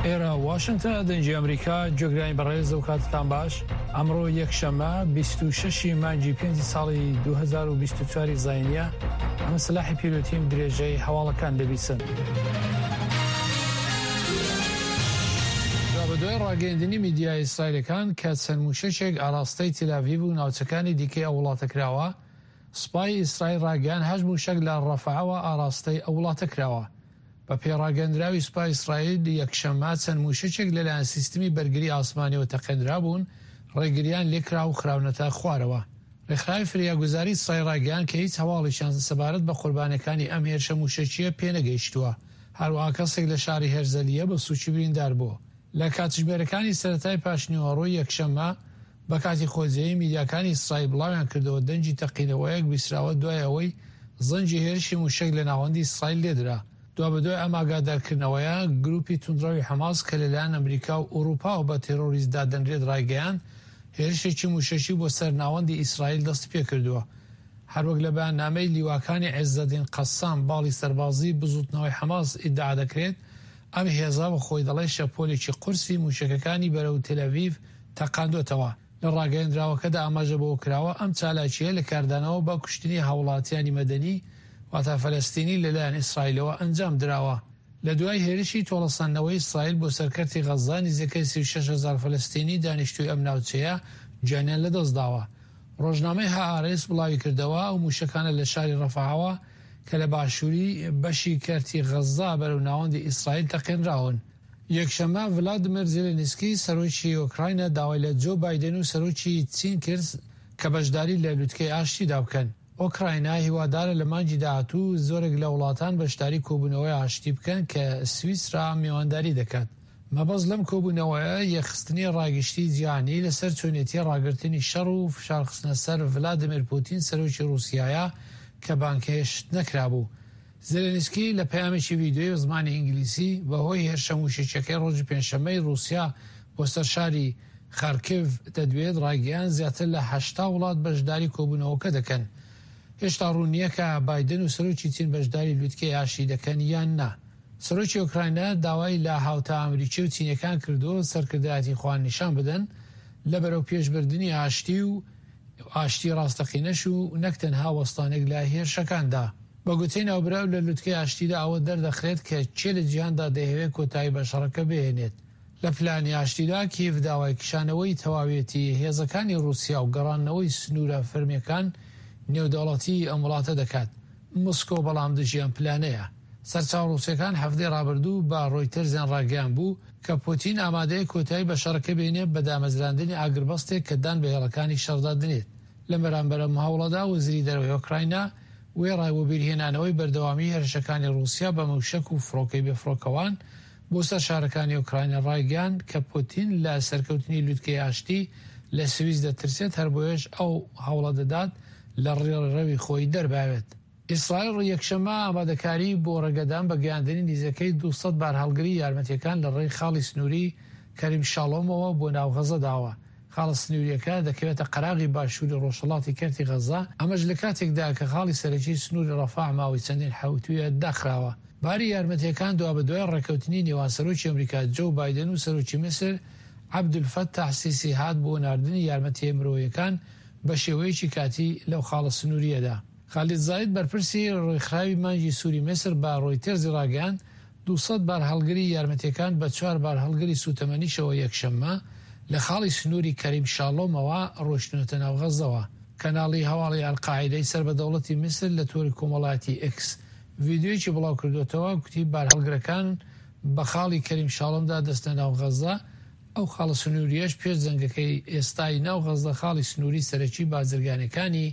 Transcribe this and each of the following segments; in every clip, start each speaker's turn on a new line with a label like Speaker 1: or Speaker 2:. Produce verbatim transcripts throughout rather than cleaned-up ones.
Speaker 1: ئێرە واشنتن، دەنگی ئەمریکا. گوێگرانی بەڕێز، ئەو کاتتان باش. ئەمڕۆ یەکشەممە بیست و شەش مانگی پێنج ساڵی دوو هەزار و بیست و چوار زاینیە. ئەمە سلاحی پیرۆتیم، درێژەی هەواڵەکان دەبیسن. دوای ڕاگەیاندنی میدیا ئیسرائیلەکان کە چەند موشەکێک ئاراستەی تێلاڤیڤ و ناوچەکانی دیکەی ئەو وڵاتە کراوە، سوپای ئیسرائیل ڕاگەیان هەشت موشەک لە ڕەفەعەوە ئاراستەی ئەو وڵاتە کراوە. بە پێڕاگەندراوی سوپای ئیسرائیل یەکشەممە چەند موشەکێک لەلایەن سیستمی بەرگری ئاسمانیەوە تەقێنرابوون، ڕێگریان لێکرا و خراونەتە خوارەوە. ڕێکخراوی فریاگوزاری ئیسرائیل ڕاگەیان کە هیچ هەواڵێکیان سەبارەت بە قوربانیەکانی ئەم هێرشە موشەکیە پێنەگەیشتووە. هەروەها کەسێک لە شاری هێرزەلیە بە سووکی بریندار بوو. لە کاتژمێرەکانی سەرەتای پاشنیوەڕۆی یەکشەممە بە کاتی خۆجێی میدیاکانی ئیسرائیل بڵاویان کردەوە دەنگی تەقینەوەیەک بیسراوە دوای ئەوەی زەنگی هێرشی موشەک لە ناوەندی ئیسرائیل لێدرا. دوابەدوای ئەم ئاگادارکردنەوەیە گروپی توندڕەوی حەماس کە لەلایەن ئەمریکا و ئەوروپاوە بە تێرۆریست دادەنرێت ڕایگەیاند هێرشێکی موشەکی بۆ سەر ناوەندی ئیسرائیل دەستی پێکردووە. هەروەک لە بەیاننامەی لیواکانی عێزەدین قەسام باڵی سەربازی بزوتنەوەی حەماس ئیدعا دەکرێت ئەم هێزە بە خۆی دەڵێ شەپۆلێکی قورسی موشەکەکانی بەرەو تێلاڤیڤ تەقاندۆتەوە. لە ڕاگەیەندراوەکەدا ئاماژە بەوە کراوە ئەم چالاکییە لە کاردانەوە بە کوشتنی هاوڵاتیانی مەدەنی واتا فەلەستینی لەلایەن ئیسرائیلەوە ئەنجام دراوە. لە دوای هێرشی تۆڵەسەندنەوەی ئیسرائیل بۆ سەر کەرتی غەززە نزیکەی سی و شەش هەزار فەلەستینی دانیشتووی ئەم ناوچەیە گیانیان لەدەستداوە. ڕۆژنامەی هائارێس بڵاوی کردەوە ئەو موشەکانە لە شاری ڕەفەعەوە کە لە باشووری بەشی کەرتی غەززە بەرەو ناوەندی ئیسرائیل تەقێنراون. یەکشەممە ڤلادیمیر زێلێنسکی سەرۆکی ئۆکراینا داوای لە جۆ بایدن و سەرۆکی چین کرد کە بەشداری لە لوتکەی ئاشتیدا بکەن. ئۆکراینا هیوادارە لە مانگی داهاتوو زۆرێک لە وڵاتان بەشداری کۆبوونەوەی ئاشتی بکەن کە سویسرا میوانداری دەکات. مەبەست لەم کۆبوونەوەیە یەکخستنی ڕاگشتی جیهانی لەسەر چۆنێتی ڕاگرتنی شەڕ و فشارخستنە سەر ڤلادیمیر پوتین سەرۆکی ڕووسیایە کە بانگهێشت نەکرابوو. زێلێنسکی لە پەیامێکی ڤیدیۆیی بە زمانی ئینگلیزی بەهۆی هێرشە موشەکیەکەی ڕۆژی پێنجشەممەی ڕووسیا بۆ سەر شاری خارکیڤ دەدوێت ڕایگەیان زیاتر لە هەشتا وڵات بەشداری کۆبوونەوەکە دەکەن. هێشتا ڕوون نییە کە بایدن و سەرۆکی چین بەشداری لوتکەی ئاشتی دەکەن یان نا. سەرۆکی ئۆکراینا داوای لە هاوتا ئەمریکی و چینیەکان کردووە سەرکردایەتی خۆیان نیشان بدەن لە بەرەو پێشبردنی ئاشتی و ئاشتی ڕاستەقینەش و نەک تەنها وەستانێک لە هێرشەکاندا. بە گوتەی ناوبراو لە لوتکەی ئاشتیدا ئەوە دەردەخرێت کە کێ لە جیهاندا دەیەوێت کۆتایی بە شەڕەکە بهێنێت. لە پلانی ئاشتیدا کیێڤ داوای کشانەوەی تەواوێتی هێزەکانی ڕووسیا و گەڕاندنەوەی سنوورە فەرمیەکان نێودەوڵەتی ئەم وڵاتە دەکات. مسکۆ بەڵام دژی ئەم پلانەیە. سەرچاوە ڕووسیەکان هەفتەی ڕابردوو بە ڕۆیتەرزیان ڕاگەیان بوو کە پوتین ئامادەیە کۆتایی بە شەڕەکە بێنێت بە دامەزراندنی ئاگربەستێک کە دان بە هێڵەکانی شەڕدا دنێت. لە بەرامبەر ئەم هەوڵەدا وەزیری دەرەوەی ئۆکراینا وێڕای وەبیرهێنانەوەی بەردەوامی هێرشەکانی ڕووسیا بە موشەک و فڕۆکەی بێفڕۆکەوان بۆ سەر شارەکانی ئۆکراینا ڕایگەیاند کە پوتین لە سەرکەوتنی لوتکەی ئاشتی لە سوئیس دەترسێت، هەر بۆیەش ئەو هەوڵە دەدات لە ڕێڕەوی خۆی دەرباوێت. ئیسرائیل یەکشەممە ئامادەکاری بۆ ڕێگەدان بە گەیاندنی نزیکەی دوو سەد بارهەڵگری یارمەتیەکان لە ڕێی خاڵی سنووری کەریم شاڵۆمەوە بۆ ناو غەزە داوە. خاڵە سنووریەکە دەکەوێتە قەراغی باشووری ڕۆژهەڵاتی کەرتی غەزە، ئەمەش لە کاتێکدا کە خاڵی سەرەکی سنووری ڕەفەع ماوەی چەندین حەوتوویە داخراوە. باری یارمەتیەکان دوابەدوای ڕێککەوتنی نێوان سەرۆکی ئەمریکا جۆ بایدن و سەرۆکی میسر عەبدولفەتاح سیسی هات بۆ ناردنی یارمەتیە مرۆیەکان بە شێوەیەکی کاتی لەو خاڵە سنووریەدا. خالید زاید بەرپرسی ڕێکخراوی مانگی سووری میسر بە ڕۆیتەرزی ڕاگەیاند دوو سەد بارهەڵگری یارمەتیەکان بە چوار بارهەڵگری سوتەمەنیشەوە یەکشەممە لە خاڵی سنووری کەریم شاڵۆمەوە ڕۆیشتنەتە ناو غەزەوە. کەناڵی هەواڵی ئەلقاعیدەی سەر بە دەوڵەتی میسر لە تۆری کۆمەڵایەتی ئێکس ڤیدیۆیەکی بڵاو کردوێتەوە گوتی بارهەڵگرەکان بە خاڵی کەریم شاڵۆمدا دەستە ناو غەزە. ئەو خاڵە سنووریەش پێش جەنگەکەی ئێستای ناو غەزە خاڵی سنووری سەرەکی بازرگانەکانی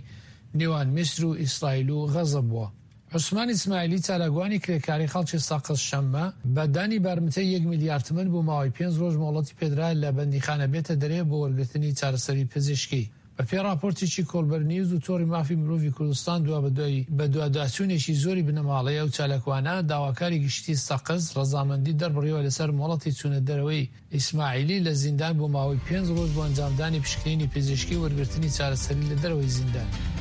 Speaker 1: نێوان میسر و ئیسرائیل و غەزە بووە. عوسمان ئیسماعیلی چالاکوانی کرێکاری خەڵکی سەقز شەممە بە دانی بارمتەی یەک میلیارد تمەن بۆ ماوەی پێنج ڕۆژ مۆڵەتی پێدرا لە بەندیخانە بێتە دەرێ بۆ وەرگرتنی چارەسەری پزیشکی. بە پێی ڕاپۆرتێکی کۆڵبەر نیوز و تۆڕی مافی مرۆڤی کوردستان دوا بەدوای بەدواداچوونێکی زۆری بنەماڵەی ئەو چالاکوانە داواکاری گشتی سەقز ڕەزامەندی دەربڕیوە لەسەر مۆڵەتی چوونە دەرەوەی ئیسماعیلی لە زیندان بۆ ماوەی پێنج ڕۆژ بۆ ئەنجامدانی پشکنینی پزیشکی وەرگرتنی چارەسەری لە دەرەوەی زیندان.